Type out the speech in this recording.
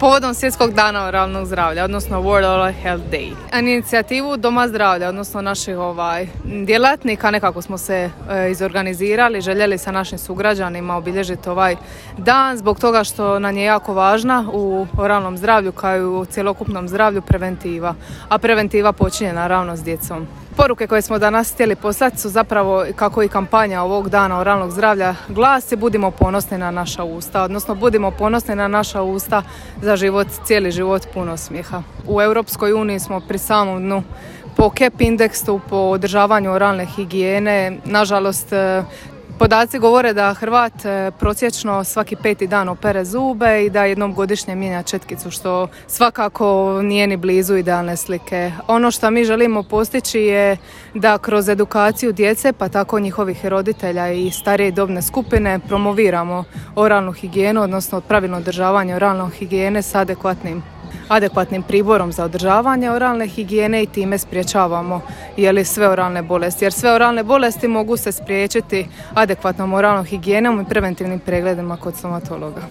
povodom Svjetskog dana oralnog zdravlja, odnosno World Oral Health Day. Inicijativu Doma zdravlja, odnosno naših djelatnika, nekako smo se izorganizirali, željeli sa našim sugrađanima obilježiti ovaj dan zbog toga što nam je jako važna u oralnom zdravlju kao i u cjelokupnom zdravlju preventiva, a preventiva počinje naravno s djecom. Poruke koje smo danas htjeli poslati su zapravo, kako i kampanja ovog dana oralnog zdravlja glasi, budimo ponosni na naša usta, odnosno budimo ponosni na naša usta za život, cijeli život puno smijeha. U Europskoj uniji smo pri samom dnu po CAP indeksu, po održavanju oralne higijene. Nažalost, podaci govore da Hrvat prosječno svaki 5. dan opere zube i da jednom godišnje mijenja četkicu, što svakako nije ni blizu idealne slike. Ono što mi želimo postići je da kroz edukaciju djece, pa tako njihovih roditelja i starije dobne skupine, promoviramo oralnu higijenu, odnosno pravilno održavanje oralne higijene s adekvatnim priborom za održavanje oralne higijene i time sprječavamo sve oralne bolesti. Jer sve oralne bolesti mogu se spriječiti adekvatnom oralnom higijenom i preventivnim pregledima kod stomatologa.